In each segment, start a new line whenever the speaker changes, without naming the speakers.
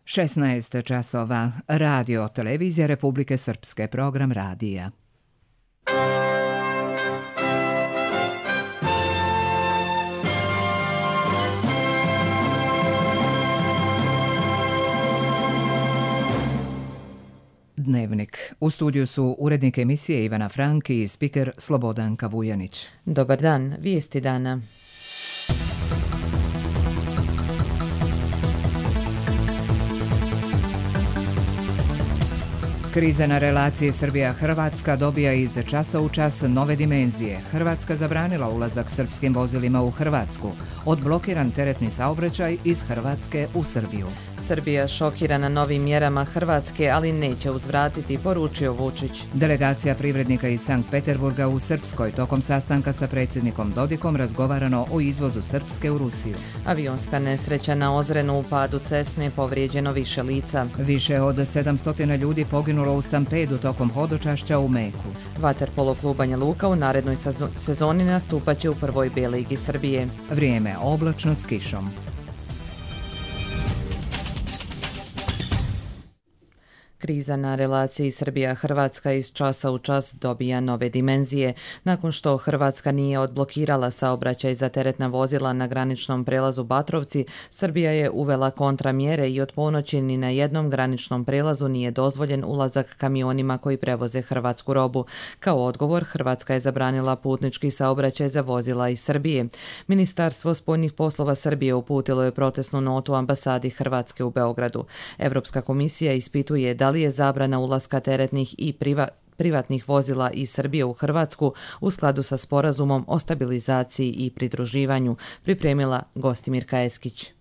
16 časova. Radio televizija Republike Srpske, program radija. Dnevnik. U studiju su urednik emisije Ivana Franki i spiker Slobodanka Vujanić.
Dobar dan, vijesti dana.
Kriza na relaciji Srbija-Hrvatska dobija iz časa u čas nove dimenzije. Hrvatska zabranila ulazak srpskim vozilima u Hrvatsku. Odblokiran teretni saobraćaj iz Hrvatske u Srbiju.
Srbija šokirana novim mjerama Hrvatske, ali neće uzvratiti, poručio Vučić.
Delegacija privrednika iz Sankt Peterburga u Srpskoj tokom sastanka sa predsjednikom Dodikom razgovarano o izvozu Srpske u Rusiju.
Avionska nesreća na Ozrenu u padu Cesne, povrijeđeno više lica.
Više od 700 ljudi poginulo u stampedu tokom hodočašća u Meku.
Vaterpolo klub Banja Luka u narednoj sezoni nastupaće u prvoj B ligi Srbije.
Vrijeme oblačno s kišom.
Kriza na relaciji Srbija-Hrvatska iz časa u čas dobija nove dimenzije. Nakon što Hrvatska nije odblokirala saobraćaj za teretna vozila na graničnom prelazu Batrovci, Srbija je uvela kontramjere i od ponoći ni na jednom graničnom prelazu nije dozvoljen ulazak kamionima koji prevoze hrvatsku robu. Kao odgovor, Hrvatska je zabranila putnički saobraćaj za vozila iz Srbije. Ministarstvo spoljnih poslova Srbije uputilo je protestnu notu ambasadi Hrvatske u Beogradu. Evropska komisija ispituje da li je zabrana ulaska teretnih i privatnih vozila iz Srbije u Hrvatsku u skladu sa sporazumom o stabilizaciji i pridruživanju, pripremila Gostimirka Eskić.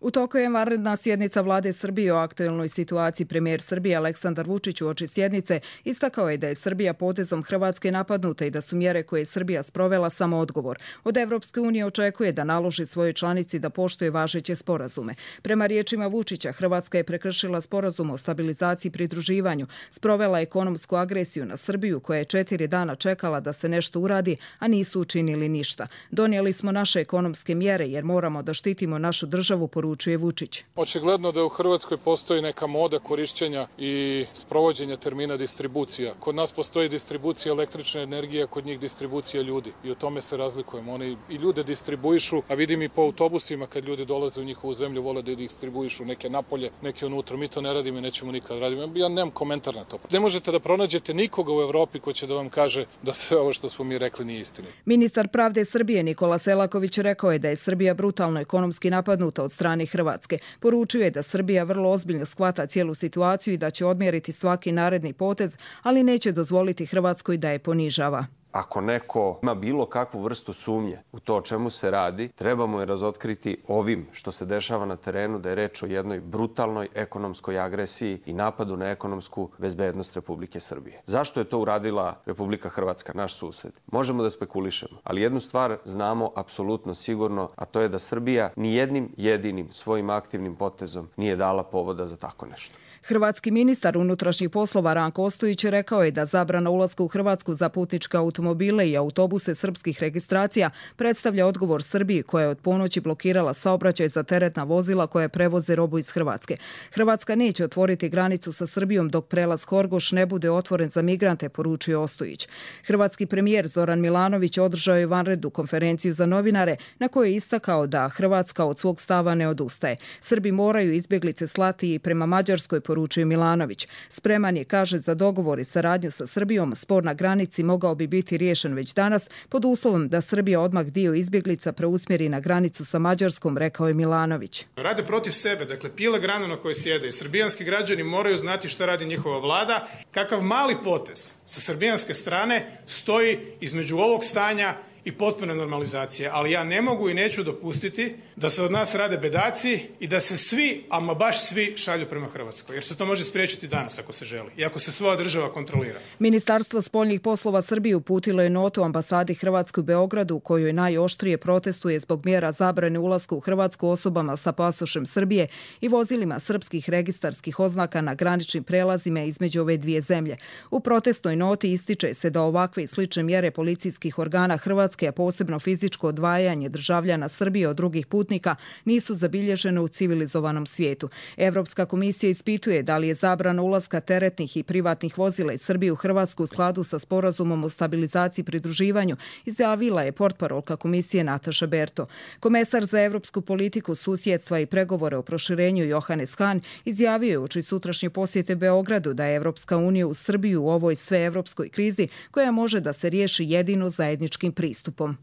U toku je vanredna sjednica vlade Srbije o aktuelnoj situaciji. Premijer Srbije Aleksandar Vučić uoči sjednice istakao je da je Srbija potezom Hrvatske napadnuta i da su mjere koje je Srbija sprovela samo odgovor. Od Evropske unije očekuje da naloži svojoj članici da poštuje važeće sporazume. Prema riječima Vučića, Hrvatska je prekršila sporazum o stabilizaciji i pridruživanju, sprovela ekonomsku agresiju na Srbiju koja je 4 dana čekala da se nešto uradi, a nisu učinili ništa. Donijeli smo naše ekonomske mjere jer moramo da štitimo našu državu, poručuje Vučić.
Očigledno da u Hrvatskoj postoji neka moda korišćenja i sprovođenja termina distribucija. Kod nas postoji distribucija električne energije, kod njih distribucija ljudi i u tome se razlikujemo. Oni i ljude distribuišu, a vidim i po autobusima kad ljudi dolaze u njihovu zemlju, vole da distribuišu neke napolje, neke unutra. Mi to ne radimo i nećemo nikad raditi. Ja nemam komentar na to. Ne možete da pronađete nikoga u Evropi ko će da vam kaže da sve ovo što smo mi rekli nije istina.
Ministar pravde Srbije Nikola Selaković rekao je da je Srbija brutalno ekonomski napadnuta od strane Hrvatske. Poručio je da Srbija vrlo ozbiljno shvata cijelu situaciju i da će odmjeriti svaki naredni potez, ali neće dozvoliti Hrvatskoj da je ponižava.
Ako neko ima bilo kakvu vrstu sumnje u to o čemu se radi, trebamo je razotkriti ovim što se dešava na terenu, da je reč o jednoj brutalnoj ekonomskoj agresiji i napadu na ekonomsku bezbednost Republike Srbije. Zašto je to uradila Republika Hrvatska, naš sused? Možemo da spekulišemo, ali jednu stvar znamo apsolutno sigurno, a to je da Srbija ni jednim jedinim svojim aktivnim potezom nije dala povoda za tako nešto.
Hrvatski ministar unutrašnjih poslova Ranko Ostojić rekao je da zabrana ulaska u Hrvatsku za putničke automobile i autobuse srpskih registracija predstavlja odgovor Srbiji koja je od ponoći blokirala saobraćaj za teretna vozila koje prevoze robu iz Hrvatske. Hrvatska neće otvoriti granicu sa Srbijom dok prelaz Horgoš ne bude otvoren za migrante, poručuje Ostojić. Hrvatski premijer Zoran Milanović održao je vanrednu konferenciju za novinare na kojoj je istakao da Hrvatska od svog stava ne odustaje. Srbi moraju izbjeglice slati i prema Mađarskoj, poručuje Milanović. Spreman je, kaže, za dogovor i saradnju sa Srbijom. Spor na granici mogao bi biti riješen već danas pod uslovom da Srbija odmah dio izbjeglica preusmjeri na granicu sa Mađarskom, rekao je Milanović.
Rade protiv sebe, dakle pile granu na kojoj sjede. Srbijanski građani moraju znati šta radi njihova vlada, kakav mali potez sa srbijanske strane stoji između ovog stanja i potpune normalizacije, ali ja ne mogu i neću dopustiti da se od nas rade bedaci i da se svi, ama baš svi, šalju prema Hrvatskoj, jer se to može spriječiti danas ako se želi i ako se svoja država kontrolira.
Ministarstvo spoljnih poslova Srbije uputilo je notu ambasadi Hrvatske u Beogradu u kojoj najoštrije protestuje zbog mjera zabrane ulaska u Hrvatsku osobama sa pasošem Srbije i vozilima srpskih registarskih oznaka na graničnim prelazima između ove dvije zemlje. U protestnoj noti ističe se da ovakve i slične mjere policijskih organa Hrvatske Hrvatske, a posebno fizičko odvajanje državljana Srbije od drugih putnika, nisu zabilježene u civilizovanom svijetu. Evropska komisija ispituje da li je zabrana ulaska teretnih i privatnih vozila iz Srbije u Hrvatsku u skladu sa sporazumom o stabilizaciji i pridruživanju, izjavila je portparolka komisije Nataša Berto. Komesar za evropsku politiku, susjedstva i pregovore o proširenju Johannes Hahn izjavio je uoči sutrašnje posjete Beogradu da je Evropska unija u Srbiju u ovoj sveevropskoj krizi koja može da se riješi jedino zajedničkim pristupom.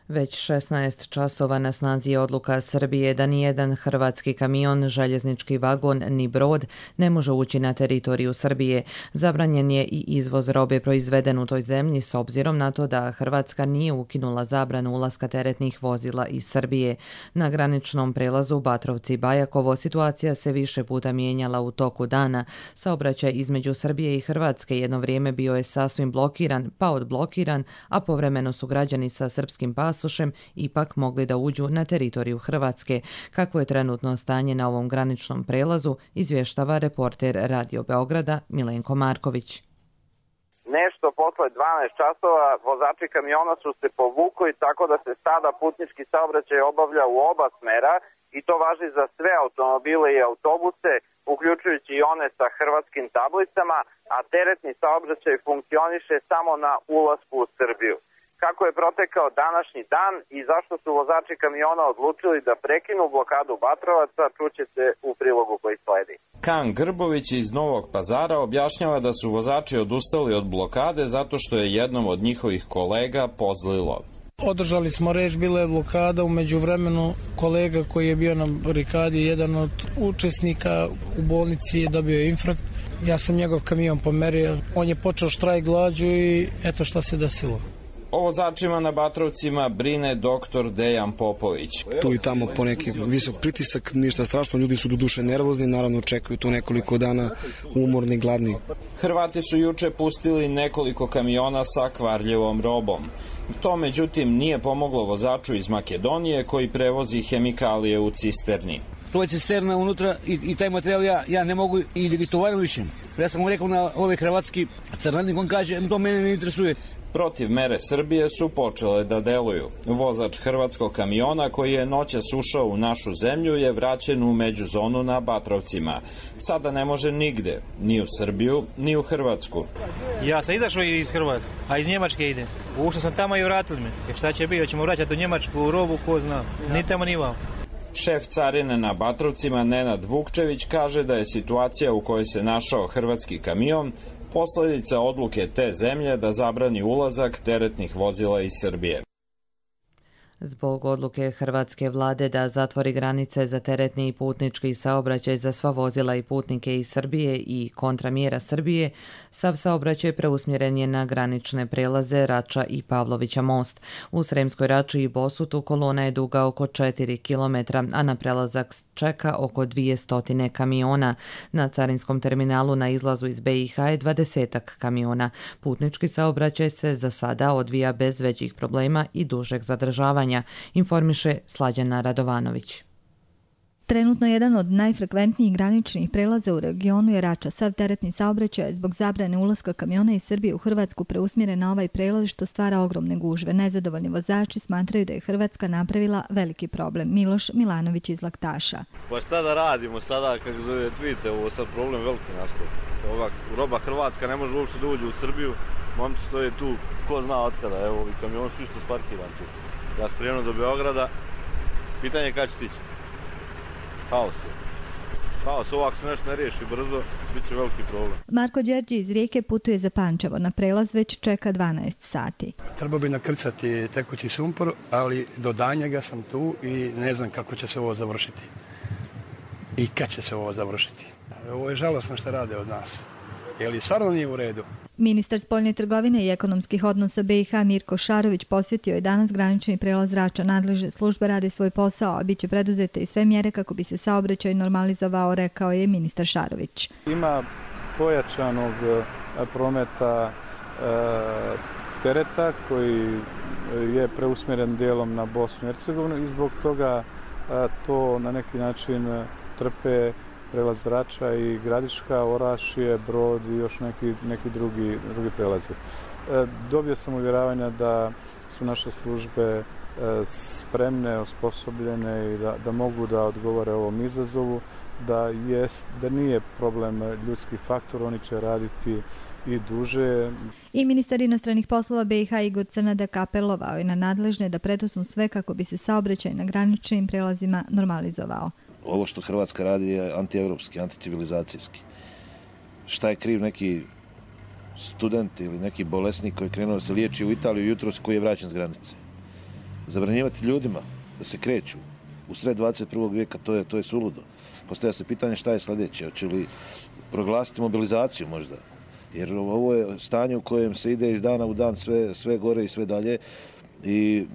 Već 16 časova na snazi je odluka Srbije da nijedan hrvatski kamion, željeznički vagon ni brod ne može ući na teritoriju Srbije. Zabranjen je i izvoz robe proizveden u toj zemlji s obzirom na to da Hrvatska nije ukinula zabranu ulaska teretnih vozila iz Srbije. Na graničnom prelazu Batrovci-Bajakovo situacija se više puta mijenjala u toku dana. Saobraćaj između Srbije i Hrvatske jedno vrijeme bio je sasvim blokiran, pa odblokiran, a povremeno su građani sa srpskim pasom ipak mogli da uđu na teritoriju Hrvatske. Kako je trenutno stanje na ovom graničnom prelazu, izvještava reporter Radio Beograda Milenko Marković.
Nešto posle 12 časova vozači kamiona su se povukli tako da se sada putnički saobraćaj obavlja u oba smera i to važi za sve automobile i autobuse, uključujući i one sa hrvatskim tablicama, a teretni saobraćaj funkcioniše samo na ulasku u Srbiju. Kako je protekao današnji dan i zašto su vozači kamiona odlučili da prekinu blokadu Batrovaca, čućete u prilogu koji sledi.
Kan Grbović iz Novog Pazara objašnjava da su vozači odustali od blokade zato što je jednom od njihovih kolega pozlilo.
Održali smo reč, bila je blokada, u međuvremenu kolega koji je bio na barikadi, jedan od učesnika u bolnici je dobio infarkt. Ja sam njegov kamion pomerio, on je počeo štrajk glađu i eto šta se desilo.
O vozačima na Batrovcima brine doktor Dejan Popović.
Tu i tamo poneki visok pritisak, ništa strašno, ljudi su do duše nervozni, naravno čekaju tu nekoliko dana umorni, gladni.
Hrvati su juče pustili nekoliko kamiona sa kvarljivom robom. To međutim nije pomoglo vozaču iz Makedonije koji prevozi hemikalije u cisterni.
To je cisterna unutra i taj materijal ja ne mogu i da ga istovarišem. Ja sam mu rekao na ovaj hrvatski crnanik, on kaže to mene ne interesuje.
Protiv mere Srbije su počele da deluju. Vozač hrvatskog kamiona koji je noćas ušao u našu zemlju je vraćen u međuzonu na Batrovcima. Sada ne može nigde, ni u Srbiju, ni u Hrvatsku.
Ja sam izašao iz Hrvatske, a iz Njemačke ide. Ušao sam tamo i vratili me. Jer šta će biti, hoćemo vraćati u Njemačku robu, ko zna. Ni tamo ni vam.
Šef carine na Batrovcima Nenad Vukčević kaže da je situacija u kojoj se našao hrvatski kamion posljedica odluke te zemlje da zabrani ulazak teretnih vozila iz Srbije.
Zbog odluke hrvatske vlade da zatvori granice za teretni i putnički saobraćaj za sva vozila i putnike iz Srbije i kontramjera Srbije, sav saobraćaj preusmjeren je na granične prelaze Rača i Pavlovića most. U Sremskoj Rači i Bosutu kolona je duga oko 4 km, a na prelazak čeka oko 200 kamiona. Na carinskom terminalu na izlazu iz BiH je 20 kamiona. Putnički saobraćaj se za sada odvija bez većih problema i dužeg zadržavanja, informiše Slađana Radovanović.
Trenutno jedan od najfrekventnijih graničnih prelaza u regionu je Rača. Sav teretni saobraćaj je zbog zabrane ulaska kamiona iz Srbije u Hrvatsku preusmjeren na ovaj prelaz što stvara ogromne gužve. Nezadovoljni vozači smatraju da je Hrvatska napravila veliki problem. Miloš Milanović iz Laktaša.
Pa šta da radimo sada, kako vidite, ovo sad problem veliki nastav. Roba Hrvatska ne može uopšte da uđe u Srbiju, momci stoje tu, ko zna otkada, evo ovi kamion su isto sparkiran tu. Ja sam krenuo do Beograda, pitanje je kada će stići. Haos, ovako se nešto ne riješi brzo, bit će veliki problem.
Marko Đerđi iz Rijeke putuje za Pančevo. Na prelaz već čeka 12 sati.
Treba bi nakrcati tekući sumpor, ali do danjega sam tu i ne znam kako će se ovo završiti. I kad će se ovo završiti. Ovo je žalosno što rade od nas. Jer stvarno nije u redu.
Ministar spoljne trgovine i ekonomskih odnosa BiH Mirko Šarović posjetio je danas granični prelaz Rača. Nadležne službe rade svoj posao, a bit će preduzete i sve mjere kako bi se saobraćaj normalizovao, rekao je ministar Šarović.
Ima pojačanog prometa tereta koji je preusmjeren dijelom na Bosnu i Hercegovinu i zbog toga to na neki način trpe prelaz Rača i Gradiška, Orašje, Brod i još neki drugi prelazi. Dobio sam uvjeravanja da su naše službe spremne, osposobljene i da mogu da odgovore ovom izazovu, da nije problem ljudski faktor, oni će raditi i duže.
I ministar inostranih poslova BiH Igor Crnadak apelovao je na nadležne da preduzmu sve kako bi se saobraćaj na graničnim prelazima normalizovao.
Ovo što Hrvatska radi je antievropski, anticivilizacijski. Šta je kriv neki student ili neki bolesnik koji je krenuo da se liječi u Italiju jutros koji je vraćan s granice? Zabranjivati ljudima da se kreću u sred 21. vijeka, to je suludo. Postavlja se pitanje šta je sljedeće, hoće li proglasiti mobilizaciju možda? Jer ovo je stanje u kojem se ide iz dana u dan sve gore i sve dalje i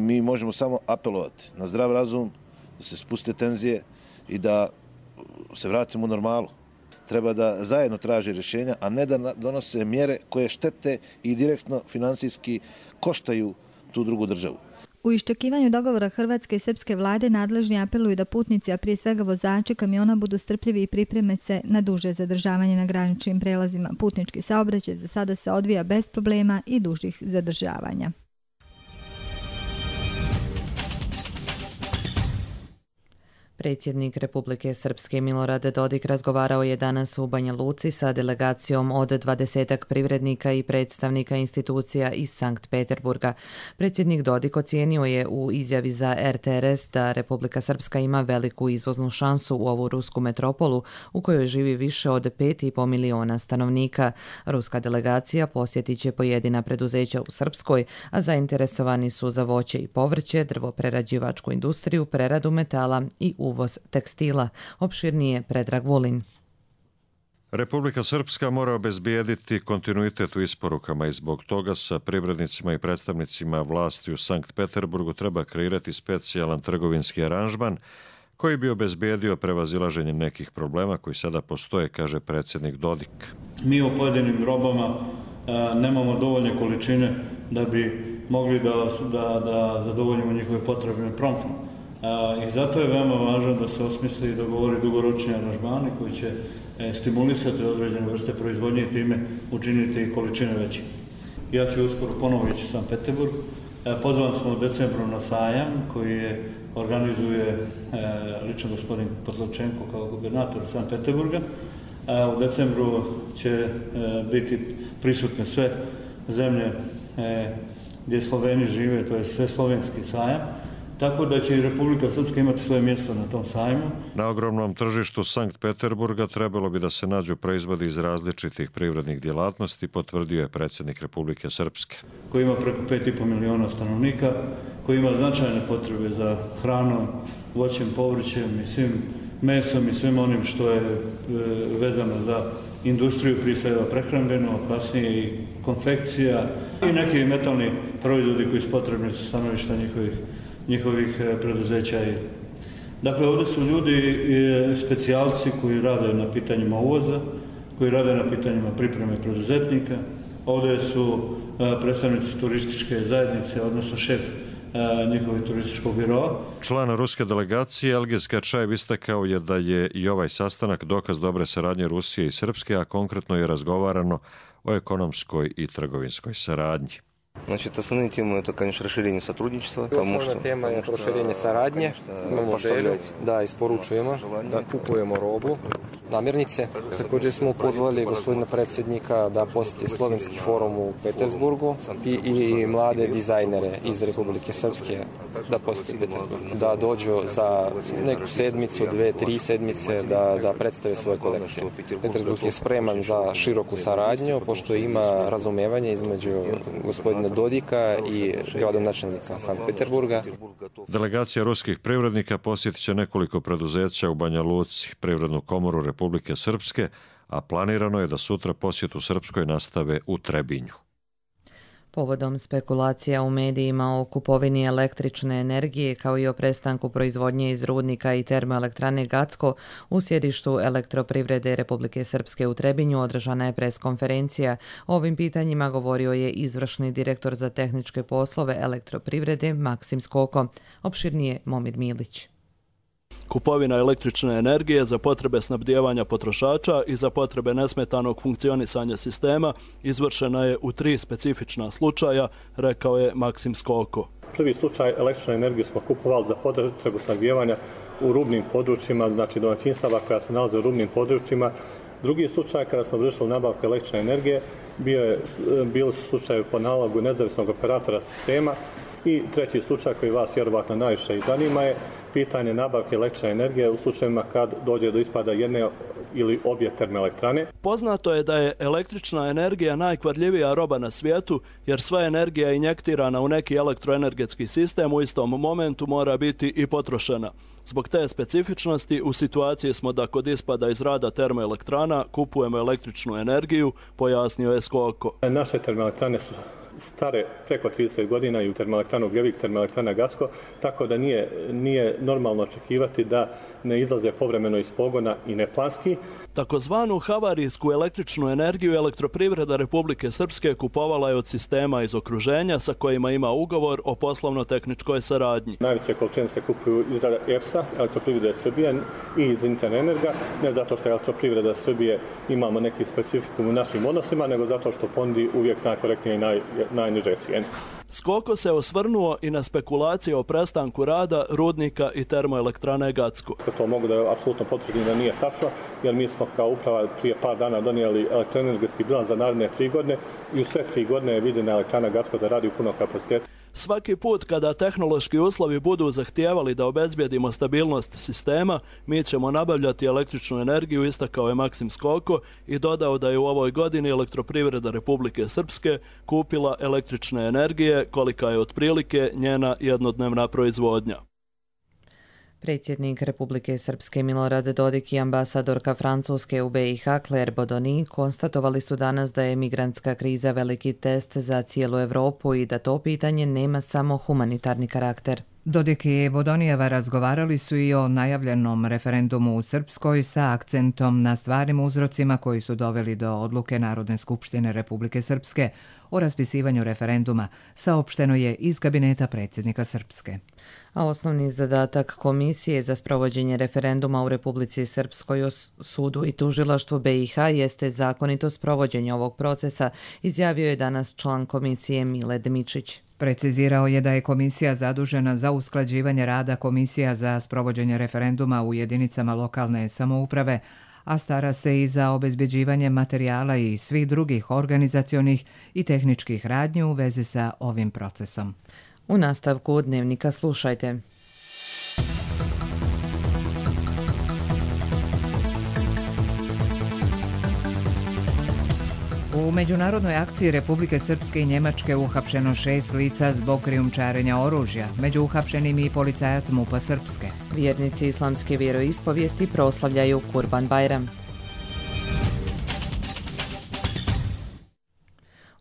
mi možemo samo apelovati na zdrav razum, da se spuste tenzije i da se vratimo u normalu. Treba da zajedno traže rješenja, a ne da donose mjere koje štete i direktno financijski koštaju tu drugu državu.
U iščekivanju dogovora hrvatske i srpske vlade nadležni apeluju da putnici, a prije svega vozači kamiona, budu strpljivi i pripreme se na duže zadržavanje na graničnim prelazima. Putnički saobraćaj za sada se odvija bez problema i dužih zadržavanja.
Predsjednik Republike Srpske Milorad Dodik razgovarao je danas u Banja Luci sa delegacijom od 20 privrednika i predstavnika institucija iz Sankt Peterburga. Predsjednik Dodik ocijenio je u izjavi za RTRS da Republika Srpska ima veliku izvoznu šansu u ovu rusku metropolu u kojoj živi više od 5,5 miliona stanovnika. Ruska delegacija posjetit će pojedina preduzeća u Srpskoj, a zainteresovani su za voće i povrće, drvoprerađivačku industriju, preradu metala i uvoz tekstila. Opširnije Predrag Vulin.
Republika Srpska mora obezbijediti kontinuitet u isporukama i zbog toga sa privrednicima i predstavnicima vlasti u Sankt Peterburgu treba kreirati specijalan trgovinski aranžman koji bi obezbijedio prevazilaženje nekih problema koji sada postoje, kaže predsjednik Dodik.
Mi u pojedinim robama nemamo dovoljne količine da bi mogli da zadovoljimo njihove potrebe promptno. I zato je veoma važno da se osmisli i dogovori dugoročni aranžmani koji će stimulisati određene vrste proizvodnje i time učiniti količine veće. Ja ću uskoro ponovo ići u Sankt Peterburg. Pozvan smo u decembru na sajam koji organizuje lično gospodin Poslovčenko kao gubernator Sankt Peterburga. U decembru će biti prisutne sve zemlje gdje Sloveni žive, to je sve slovenski sajam. Tako da će i Republika Srpska imati svoje mjesto na tom sajmu.
Na ogromnom tržištu Sankt Peterburga trebalo bi da se nađu proizvodi iz različitih privrednih djelatnosti, potvrdio je predsjednik Republike Srpske.
Koji ima preko 5,5 miliona stanovnika, koji ima značajne potrebe za hranom, voćem, povrćem i svim mesom i svim onim što je vezano za industriju, prije svega prehrambenu, a kasnije i konfekcija i neki metalni proizvodi koji su potrebni za stanovišta njihovih preduzeća. Dakle, ovdje su ljudi specijalci koji rade na pitanjima uvoza, koji rade na pitanjima pripreme preduzetnika. Ovdje su predstavnici turističke zajednice, odnosno šef njihovih turističkog biroa.
Član ruske delegacije Elgiz Kačajev istakao je da je i ovaj sastanak dokaz dobre saradnje Rusije i Srpske, a konkretno je razgovarano o ekonomskoj i trgovinskoj saradnji.
Значит, основные темы это, конечно, расширение сотрудничества.
Основна тема je proširenje saradnje. Imamo želju da isporučujemo, da kupujemo robu, namirnice. Također smo pozvali gospodina predsjednika da posjeti slovenski forum u Petersburgu i mlade dizajnere iz Republike Srpske da posjeti Petersburg. Da dođu za neku sedmicu, 2-3 sedmice da predstave svoje kolekcije. Petersburg je spreman za široku saradnju, pošto ima razumevanje između gospodina Dodika i gradonačelnika Sankt Peterburga.
Delegacija ruskih privrednika posjetit će nekoliko preduzeća u Banja Luci, Privrednu komoru Republike Srpske, a planirano je da sutra posjet u Srpskoj nastave u Trebinju.
Povodom spekulacija u medijima o kupovini električne energije kao i o prestanku proizvodnje iz rudnika i termoelektrane Gacko u sjedištu Elektroprivrede Republike Srpske u Trebinju održana je preskonferencija. O ovim pitanjima govorio je izvršni direktor za tehničke poslove Elektroprivrede Maksim Skoko. Opširnije Momir Milić.
Kupovina električne energije za potrebe snabdijevanja potrošača i za potrebe nesmetanog funkcionisanja sistema izvršena je u 3 specifična slučaja, rekao je Maksim Skoko.
Prvi slučaj električne energije smo kupovali za potrebu snabdijevanja u rubnim područjima, znači domaćinstava koja se nalaze u rubnim područjima. Drugi slučaj kada smo vršili nabavku električne energije bili su slučajevi po nalogu nezavisnog operatora sistema. I treći slučaj koji vas vjerovatno najviše i zanima je pitanje nabavke električne energije u slučajevima kad dođe do ispada jedne ili obje termoelektrane.
Poznato je da je električna energija najkvarljivija roba na svijetu, jer sva energija injektirana u neki elektroenergetski sistem u istom momentu mora biti i potrošena. Zbog te specifičnosti u situaciji smo da kod ispada iz rada termoelektrana kupujemo električnu energiju, pojasnio je Skoko.
Naše termoelektrane su stare preko 30 godina i u termoelektranu Ugljevik, termoelektrana Gacko, tako da nije normalno očekivati da ne izlaze povremeno iz pogona i neplanski.
Takozvanu havarijsku električnu energiju Elektroprivreda Republike Srpske kupovala je od sistema iz okruženja sa kojima ima ugovor o poslovno-tehničkoj saradnji.
Najveće količine se kupuju iz EPS-a, Elektroprivrede Srbije i iz Interenerga, ne zato što Elektroprivreda Srbije imamo neki specifikum u našim odnosima, nego zato što ponudi uvijek najkorektnije i najniže cijene.
Skoko se osvrnuo i na spekulacije o prestanku rada rudnika i termoelektrane Gacko.
To mogu da apsolutno potvrdim da nije tačno, jer mi smo kao uprava prije par dana donijeli elektroenergetski bilans za naredne 3 godine i u sve 3 godine je viđena elektrana Gacko da radi u punom kapacitetu.
Svaki put kada tehnološki uslovi budu zahtijevali da obezbijedimo stabilnost sistema, mi ćemo nabavljati električnu energiju, istakao je Maksim Skoko i dodao da je u ovoj godini Elektroprivreda Republike Srpske kupila električne energije kolika je otprilike njena jednodnevna proizvodnja.
Predsjednik Republike Srpske Milorad Dodik i ambasadorka Francuske u BiH Claire Bodoni konstatovali su danas da je migrantska kriza veliki test za cijelu Europu i da to pitanje nema samo humanitarni karakter.
Dodik i Bodonijeva razgovarali su i o najavljenom referendumu u Srpskoj sa akcentom na stvarnim uzrocima koji su doveli do odluke Narodne skupštine Republike Srpske o raspisivanju referenduma, saopšteno je iz kabineta predsjednika Srpske.
A osnovni zadatak Komisije za sprovođenje referenduma u Republici Srpskoj o sudu i tužilaštvu BiH jeste zakonito sprovođenje ovog procesa, izjavio je danas član komisije Mile Dmičić.
Precizirao je da je komisija zadužena za usklađivanje rada komisija za sprovođenje referenduma u jedinicama lokalne samouprave, a stara se i za obezbeđivanje materijala i svih drugih organizacionih i tehničkih radnji u vezi sa ovim procesom.
U nastavku dnevnika slušajte.
U međunarodnoj akciji Republike Srpske i Njemačke uhapšeno 6 lica zbog krijumčarenja oružja, među uhapšenim i policajac MUP-a Srpske.
Vjernici islamske vjeroispovijesti proslavljaju Kurban Bajram.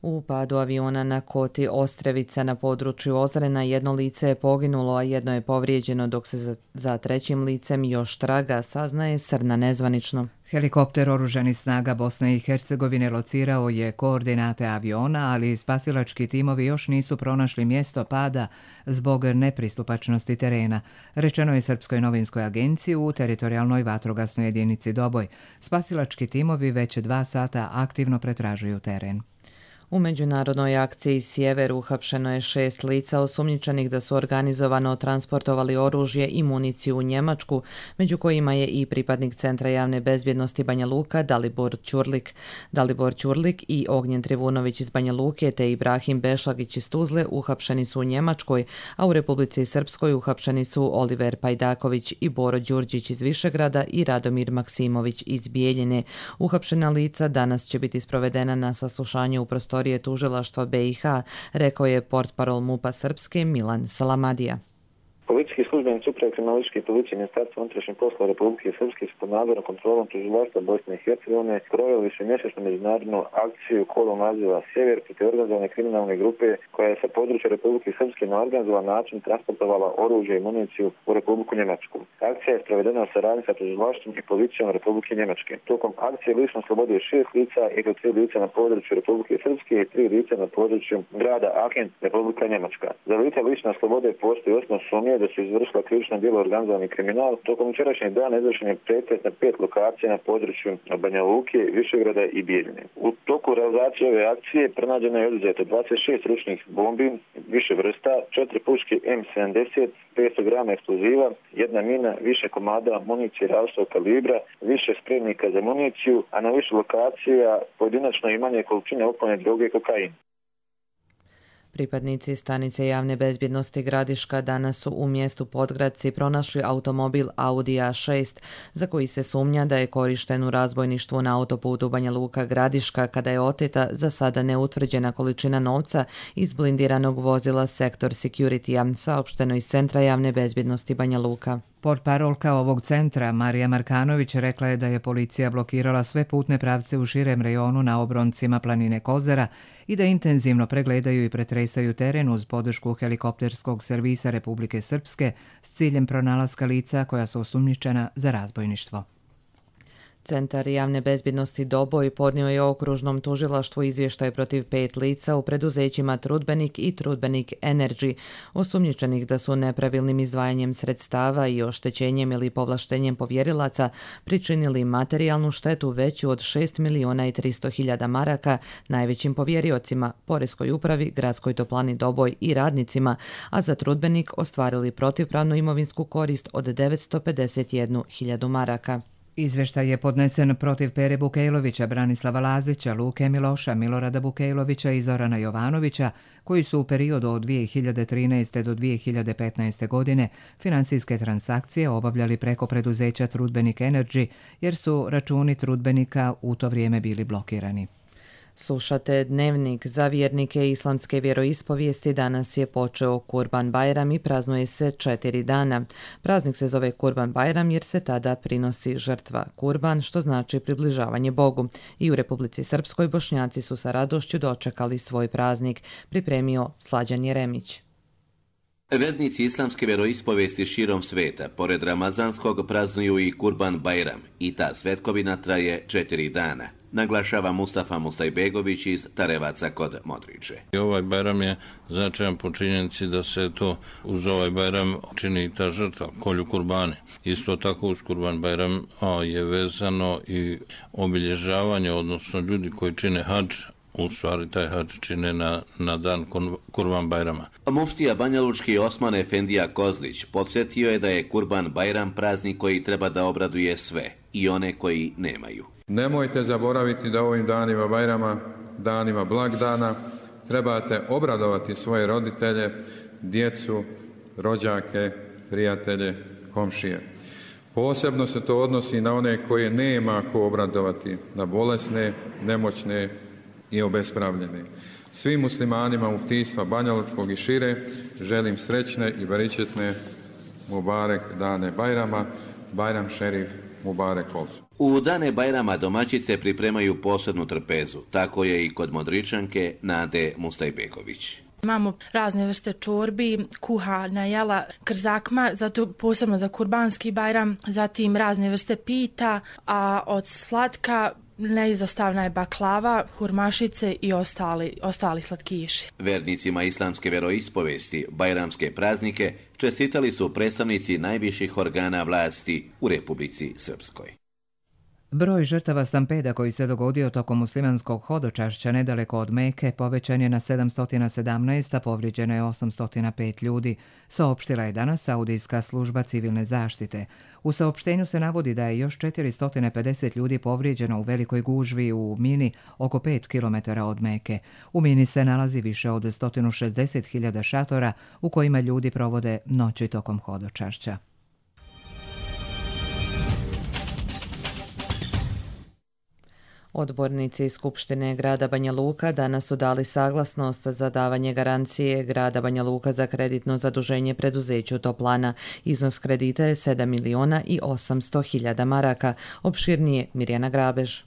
U padu aviona na Koti Ostrevica na području Ozrena 1 lice je poginulo, a 1 je povrijeđeno, dok se za 3. licem još traga, saznaje Srna nezvanično.
Helikopter Oružanih snaga Bosne i Hercegovine locirao je koordinate aviona, ali spasilački timovi još nisu pronašli mjesto pada zbog nepristupačnosti terena, rečeno je Srpskoj novinskoj agenciji u teritorijalnoj vatrogasnoj jedinici Doboj. Spasilački timovi već 2 sata aktivno pretražuju teren.
U međunarodnoj akciji Sjever uhapšeno je 6 lica osumnjičenih da su organizovano transportovali oružje i municiju u Njemačku, među kojima je i pripadnik Centra javne bezbjednosti Banja Luka Dalibor Ćurlik. Dalibor Ćurlik i Ognjen Trivunović iz Banja Luke te Ibrahim Bešlagić iz Tuzle uhapšeni su u Njemačkoj, a u Republici Srpskoj uhapšeni su Oliver Pajdaković i Boro Đurđić iz Višegrada i Radomir Maksimović iz Bijeljine. Uhapšena lica danas će biti sprovedena na saslušanje u prostorije tužilaštva BiH, rekao je portparol MUP-a Srpske Milan Salamadija.
Policijski službenici Uprave kriminalističke policije Ministarstva unutrašnjih poslova Republike Srpske su pod nadzorom kontrolom tužilaštva Bosne i Hercegovine proveli višemjesečnu međunarodnu akciju kodom naziva Sjever protiv organizovane kriminalne grupe koja je sa područja Republike Srpske na organizovan način transportovala oružje i municiju u Republiku Njemačku. Akcija je sprovedena u saradnji sa tužilaštvom i policijom Republike Njemačke. Tokom akcije lično slobodio 6 lica i to 3 lica na području Republike Srpske i 3 lica na području grada Aachen, Republika Njemačka. Za lica lična slobode postoji osnov sumnje da su izvršila krivično djelo organizovani kriminal. Tokom jučerašnjeg dana izvršen je pretres na 5 lokacija na području Banja Luke, Višegrada i Bijeljine. U toku realizacije ove akcije pronađeno je oduzeto 26 ručnih bombi više vrsta, 4 puške M70, 500 grama eksploziva, 1 mina, više komada municije različitog kalibra, više spremnika za municiju, a na više lokacija pojedinačno i manje količine opojne droge i kokain.
Pripadnici stanice javne bezbjednosti Gradiška danas su u mjestu Podgradci pronašli automobil Audi A6 za koji se sumnja da je korišten u razbojništvu na autoputu Banja Luka Gradiška kada je oteta za sada neutvrđena količina novca iz blindiranog vozila Sektor Security-a, saopšteno iz Centra javne bezbjednosti Banja Luka.
Portparolka ovog centra, Marija Markanović, rekla je da je policija blokirala sve putne pravce u širem rejonu na obroncima planine Kozara i da intenzivno pregledaju i pretresaju teren uz podršku helikopterskog servisa Republike Srpske s ciljem pronalaska lica koja su osumnjičena za razbojništvo.
Centar javne bezbjednosti Doboj podnio je okružnom tužilaštvu izvještaj protiv 5 lica u preduzećima Trudbenik i Trudbenik Energy, osumnjičenih da su nepravilnim izdvajanjem sredstava i oštećenjem ili povlaštenjem povjerilaca pričinili materijalnu štetu veću od 6.300.000 maraka najvećim povjeriocima, Poreskoj upravi, Gradskoj toplani Doboj i radnicima, a za Trudbenik ostvarili protivpravnu imovinsku korist od 951.000 maraka.
Izveštaj je podnesen protiv Pere Bukejlovića, Branislava Lazića, Luke Miloša, Milorada Bukejlovića i Zorana Jovanovića, koji su u periodu od 2013. do 2015. godine finansijske transakcije obavljali preko preduzeća Trudbenik Energy, jer su računi Trudbenika u to vrijeme bili blokirani.
Slušate Dnevnik. Za vjernike islamske vjeroispovijesti danas je počeo Kurban Bajram i praznuje se 4 dana. Praznik se zove Kurban Bajram jer se tada prinosi žrtva kurban, što znači približavanje Bogu. I u Republici Srpskoj Bošnjaci su sa radošću dočekali svoj praznik, pripremio Slađan Jeremić.
Vernici islamske vjeroispovijesti širom sveta, pored Ramazanskog, praznuju i Kurban Bajram i ta svetkovina traje 4 dana, naglašava Mustafa Musajbegović iz Tarevaca kod Modriče.
Ovaj Bajram je značajan po činjenici da se to uz ovaj Bajram čini ta žrtva, kolju kurbane. Isto tako uz Kurban Bajram je vezano i obilježavanje, odnosno ljudi koji čine hadž, u stvari taj hadž čine na dan Kurban Bajrama.
Muftija banjalučki Osman Efendija Kozlić podsjetio je da je Kurban Bajram praznik koji treba da obraduje sve, i one koji nemaju.
Nemojte zaboraviti da ovim danima Bajrama, danima blagdana, trebate obradovati svoje roditelje, djecu, rođake, prijatelje, komšije. Posebno se to odnosi na one koje nema ko obradovati, na bolesne, nemoćne i obespravljene. Svim muslimanima muftijstva Banjalučkog i šire želim srećne i beričetne Mubarek dane Bajrama, Bajram šerif Mubarek Olsu.
U dane Bajrama domaćice pripremaju posebnu trpezu, tako je i kod Modričanke Nade Mustajbegović.
Imamo razne vrste čorbi, kuhana jela, krzakma, zato posebno za kurbanski Bajram, zatim razne vrste pita, a od slatka neizostavna je baklava, hurmašice i ostali slatkiši.
Vernicima islamske vjeroispovesti bajramske praznike čestitali su predstavnici najviših organa vlasti u Republici Srpskoj.
Broj žrtava stampeda koji se dogodio tokom muslimanskog hodočašća nedaleko od Meke povećan je na 717, a povrijeđeno je 805 ljudi, saopštila je danas Saudijska služba civilne zaštite. U saopštenju se navodi da je još 450 ljudi povrijeđeno u velikoj gužvi u Mini oko 5 km od Meke. U Mini se nalazi više od 160.000 šatora u kojima ljudi provode noći tokom hodočašća.
Odbornici Skupštine grada Banja Luka danas su dali saglasnost za davanje garancije grada Banja Luka za kreditno zaduženje preduzeću Toplana. Iznos kredita je 7.800.000 maraka. Opširnije Mirjana Grabež.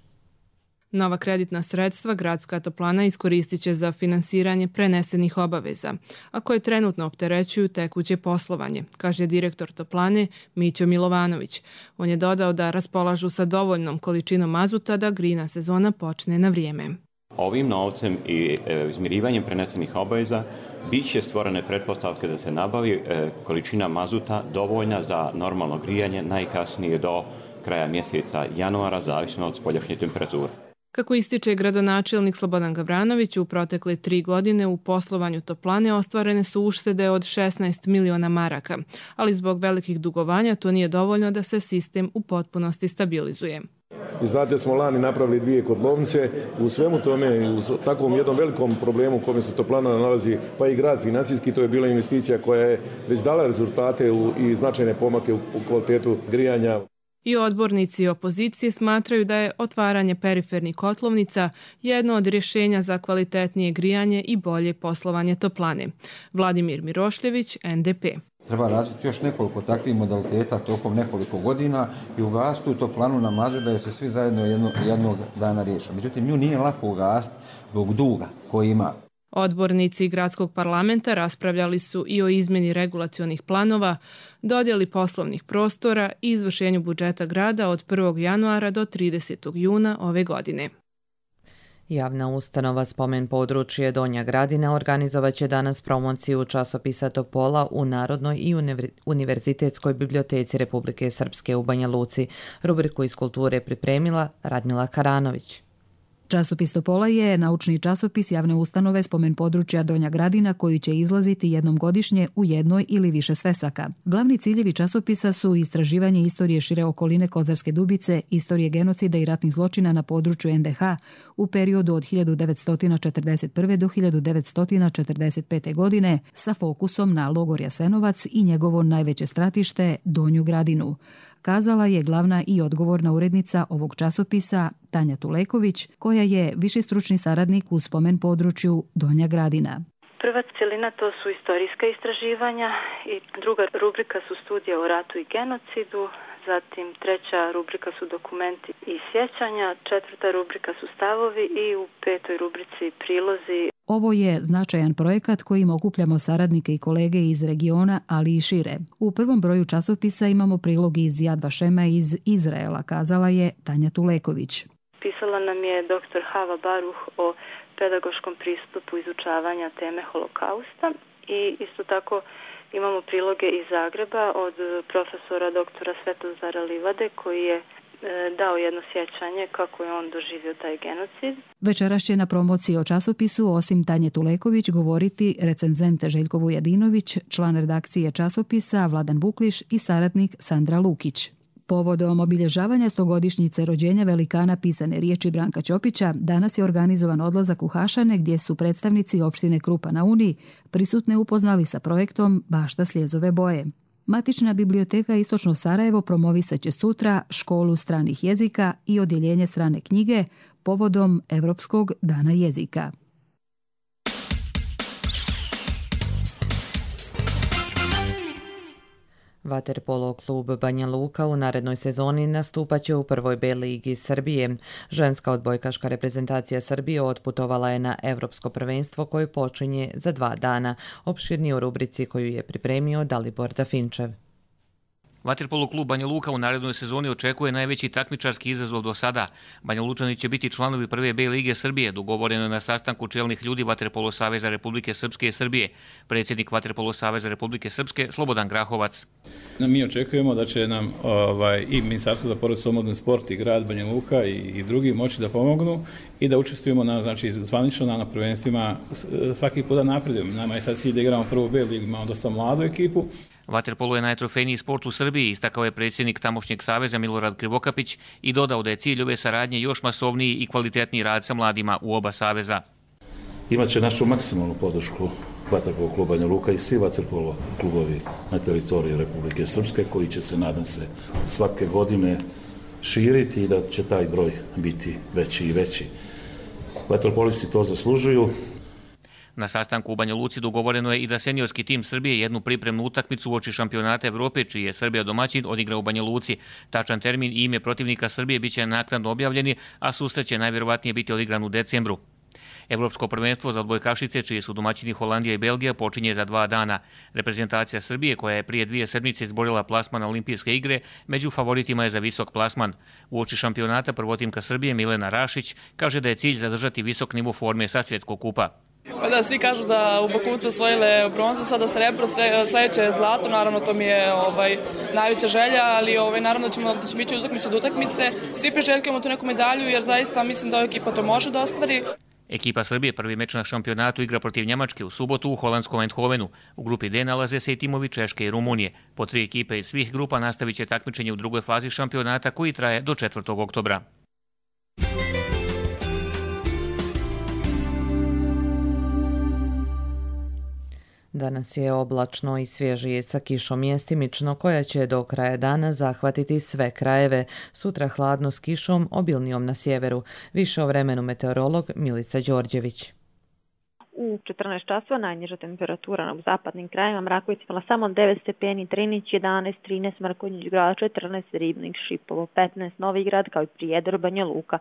Nova kreditna sredstva Gradska toplana iskoristit će za finansiranje prenesenih obaveza, a koje trenutno opterećuju tekuće poslovanje, kaže direktor toplane Mićo Milovanović. On je dodao da raspolažu sa dovoljnom količinom mazuta da grejna sezona počne na vrijeme.
Ovim novcem i izmirivanjem prenesenih obaveza
biće stvorene pretpostavke da se nabavi količina mazuta dovoljna za normalno grijanje najkasnije do kraja mjeseca januara, zavisno od spoljašnje temperature.
Kako ističe gradonačelnik Slobodan Gavranović, u protekle 3 godine u poslovanju toplane ostvarene su uštede od 16 miliona maraka, ali zbog velikih dugovanja to nije dovoljno da se sistem u potpunosti stabilizuje.
I znate, smo lani napravili 2 kotlovnice, u svemu tome, u takvom jednom velikom problemu u kome se toplana nalazi, pa i grad financijski, to je bila investicija koja je već dala rezultate i značajne pomake u kvalitetu grijanja.
I odbornici opozicije smatraju da je otvaranje perifernih kotlovnica jedno od rješenja za kvalitetnije grijanje i bolje poslovanje toplane. Vladimir Mirošljević, NDP.
Treba razviti još nekoliko takvih modaliteta tokom nekoliko godina i ugasiti tu toplanu na mazu da je se svi zajedno jednog dana riješe. Međutim, nju nije lako ugasiti zbog duga koji ima.
Odbornici Gradskog parlamenta raspravljali su i o izmjeni regulacionih planova, dodjeli poslovnih prostora i izvršenju budžeta grada od 1. januara do 30. juna ove godine.
Javna ustanova Spomen područje Donja Gradina organizovat će danas promociju časopisa Topola u Narodnoj i Univerzitetskoj biblioteci Republike Srpske u Banja Luci. Rubriku iz kulture pripremila Radmila Karanović.
Časopis Topola je naučni časopis javne ustanove Spomen područja Donja Gradina koji će izlaziti jednom godišnje u jednoj ili više svesaka. Glavni ciljevi časopisa su istraživanje istorije šire okoline Kozarske Dubice, istorije genocida i ratnih zločina na području NDH u periodu od 1941. do 1945. godine sa fokusom na logor Jasenovac i njegovo najveće stratište Donju Gradinu, kazala je glavna i odgovorna urednica ovog časopisa Tanja Tuleković, koja je viši stručni saradnik u Spomen području Donja Gradina.
Prva cjelina to su istorijska istraživanja i druga rubrika su studije o ratu i genocidu, zatim treća rubrika su dokumenti i sjećanja, četvrta rubrika su stavovi i u petoj rubrici prilozi.
Ovo je značajan projekat kojim okupljamo saradnike i kolege iz regiona, ali i šire. U prvom broju časopisa imamo prilog iz Yad Vashema iz Izraela, kazala je Tanja Tuleković.
Pisala nam je dr. Hava Baruh o pedagoškom pristupu izučavanja teme holokausta i isto tako imamo priloge iz Zagreba od profesora doktora Svetozara Livade koji je dao jedno sjećanje kako je on doživio taj genocid.
Večeras će na promociji o časopisu osim Tanje Tuleković govoriti recenzent Željko Vujadinović, član redakcije časopisa Vladan Bukliš i saradnik Sandra Lukić. Povodom obilježavanja 100-godišnjice rođenja velikana pisane riječi Branka Ćopića, danas je organizovan odlazak u Hašane gdje su predstavnici opštine Krupa na Uni prisutne upoznali sa projektom Bašta Sljezove boje. Matična biblioteka Istočno Sarajevo promovisat će sutra školu stranih jezika i odjeljenje strane knjige povodom Evropskog dana jezika.
Vaterpolo klub Banja Luka u narednoj sezoni nastupaće u prvoj B ligi Srbije. Ženska odbojkaška reprezentacija Srbije otputovala je na Evropsko prvenstvo koje počinje za 2 dana. Opširnije u rubrici koju je pripremio Dalibor Dafinčev.
Vaterpolo klub Banja Luka u narednoj sezoni očekuje najveći takmičarski izazov do sada. Banja Lučani će biti članovi prve B lige Srbije, dogovoreno je na sastanku čelnih ljudi Vaterpolo Saveza Republike Srpske i Srbije. Predsjednik Vaterpolo Saveza Republike Srpske Slobodan Grahovac.
Mi očekujemo da će nam i Ministarstvo za porodicu, omladinu i sport i grad Banja Luka i drugi moći da pomognu i da učestvujemo zvanično na prvenstvima svaki puta napredujemo. Nama je sad cilj da igramo prvu B ligu, imamo dosta mladu ekipu.
Vaterpolo je najtrofejniji sport u Srbiji, istakao je predsjednik tamošnjeg saveza Milorad Krivokapić i dodao da je cilj ove saradnje još masovniji i kvalitetniji rad sa mladima u oba saveza.
Imaće našu maksimalnu podršku Vaterpolo kluba Banja Luka i svi Vaterpolo klubovi na teritoriji Republike Srpske koji će se, nadam se, svake godine širiti i da će taj broj biti veći i veći. Vaterpolisti to zaslužuju.
Na sastanku u Banja Luci dogovoreno je i da seniorski tim Srbije jednu pripremnu utakmicu uoči šampionata Evrope, čiji je Srbija domaćin, odigra u Banja Luci. Tačan termin i ime protivnika Srbije biće naknadno objavljeni, a susret će najvjerovatnije biti odigran u decembru. Evropsko prvenstvo za odbojkašice, čiji su domaćini Holandija i Belgija, počinje za 2 dana. Reprezentacija Srbije, koja je prije 2 sedmice izborila plasman na olimpijske igre, među favoritima je za visok plasman. Uoči šampionata prvotimka Srbije Milena Rašić kaže da je cilj zadržati visok nivo forme sa svjetskog kupa.
Pa da, svi kažu da u Baku ste osvojile bronzu, sada srebro, sledeće je zlato, naravno to mi je najveća želja, ali naravno da ćemo biti od utakmice. Svi priželjkujemo tu neku medalju jer zaista mislim da ova ekipa to može da ostvari.
Ekipa Srbije prvi meč na šampionatu igra protiv Njemačke u subotu u holandskom Eindhovenu. U grupi D nalaze se i timovi Češke i Rumunije. Po 3 ekipe iz svih grupa nastavit će takmičenje u drugoj fazi šampionata koji traje do 4. oktobra.
Danas je oblačno i svježije sa kišom mjestimično koja će do kraja dana zahvatiti sve krajeve. Sutra hladno s kišom, obilnijom na sjeveru. Više o vremenu meteorolog Milica Đorđević.
U 14 časova najniža temperatura na zapadnim krajima Mrakovica imala samo 9 stepeni, Drinić 11, 13 Mrkonjić Grad, 14 Ribnik, Šipovo, 15 Novi Grad kao i Prijedor, Banja Luka,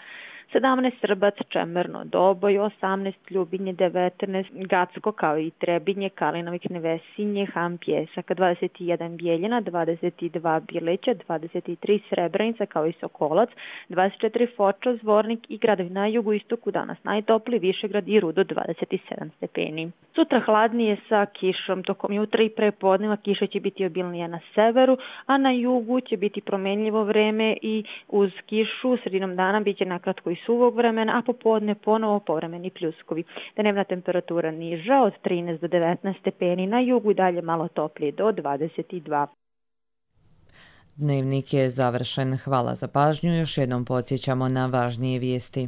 17 Srbac, Čemerno, Doboj, 18 Ljubinje, 19 Gacko kao i Trebinje, Kalinovik, Nevesinje, Ham, Pjesak, 21 Bijeljina, 22 Bileća, 23 Srebrenica kao i Sokolac, 24 Foča, Zvornik i gradovi na jugu istoku danas najtopli, Višegrad i Rudo 27 stepeni. Sutra hladnije sa kišom, tokom jutra i prepodneva kiša će biti obilnija na severu, a na jugu će biti promenljivo vreme i uz kišu sredinom dana biće nakratko i suvog vremena, a popodne ponovo povremeni pljuskovi. Dnevna temperatura niža od 13 do 19 stepeni, na jugu i dalje malo toplije do 22.
Dnevnik je završen. Hvala za pažnju. Još jednom podsjećamo na važnije vijesti.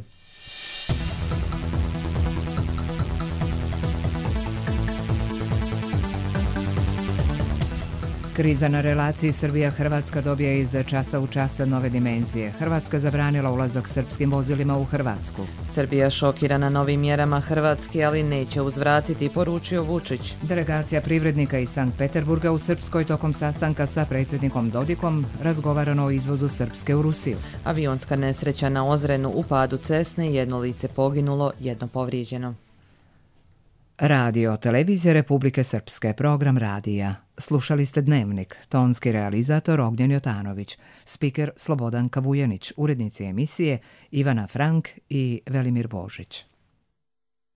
Kriza na relaciji Srbija-Hrvatska dobija iz časa u čas nove dimenzije. Hrvatska zabranila ulazak srpskim vozilima u Hrvatsku.
Srbija šokirana novim mjerama Hrvatske, ali neće uzvratiti, poručio Vučić.
Delegacija privrednika iz Sankt Peterburga u Srpskoj tokom sastanka sa predsjednikom Dodikom razgovarano o izvozu Srpske u Rusiju.
Avionska nesreća na Ozrenu u padu Cesne, 1 lice poginulo, 1 povrijeđeno.
Radio Televizija Republike Srpske, program radija. Slušali ste Dnevnik, tonski realizator Ognjen Jotanović, spiker Slobodan Kavujanić, urednici emisije Ivana Frank i Velimir Božić.